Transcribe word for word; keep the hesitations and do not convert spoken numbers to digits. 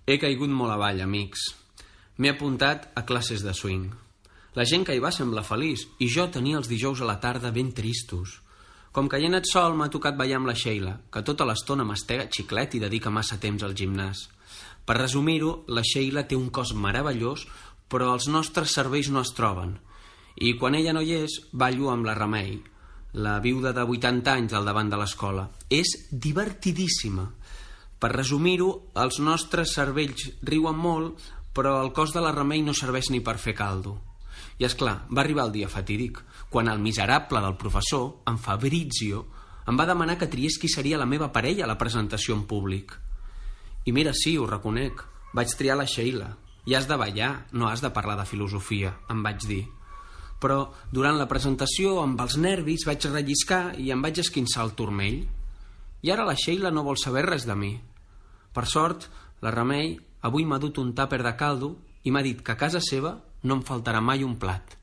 He caigut molt avall, amics. M'he apuntat a classes de swing. La gent que hi va sembla feliç i jo tenia els dijous a la tarda ben tristos. Com que hi he anat sol, m'ha tocat ballar amb la Sheila, que tota l'estona mastega xiclet i dedica massa temps al gimnàs. Per resumir-ho, la Sheila té un cos meravellós, però els nostres cervells no es troben. I quan ella no hi és, ballo amb la Remei, la viuda de vuitanta anys al davant de l'escola. És divertidíssima. Per resumir-ho, els nostres cervells riuen molt, però el cos de la Remei no serveix ni per fer caldo. I és clar, va arribar el dia fatídic, quan el miserable del professor, en Fabrizio, em va demanar que triés qui seria la meva parella a la presentació en públic. I mira, sí, ho reconec, vaig triar la Sheila. I has de ballar, no has de parlar de filosofia, em vaig dir. Però durant la presentació, amb els nervis, vaig relliscar i em vaig esquinçar el turmell. I ara la Sheila no vol saber res de mi. Per sort, la Remei avui m'ha dut un tàper de caldo i m'ha dit que a casa seva no em faltarà mai un plat.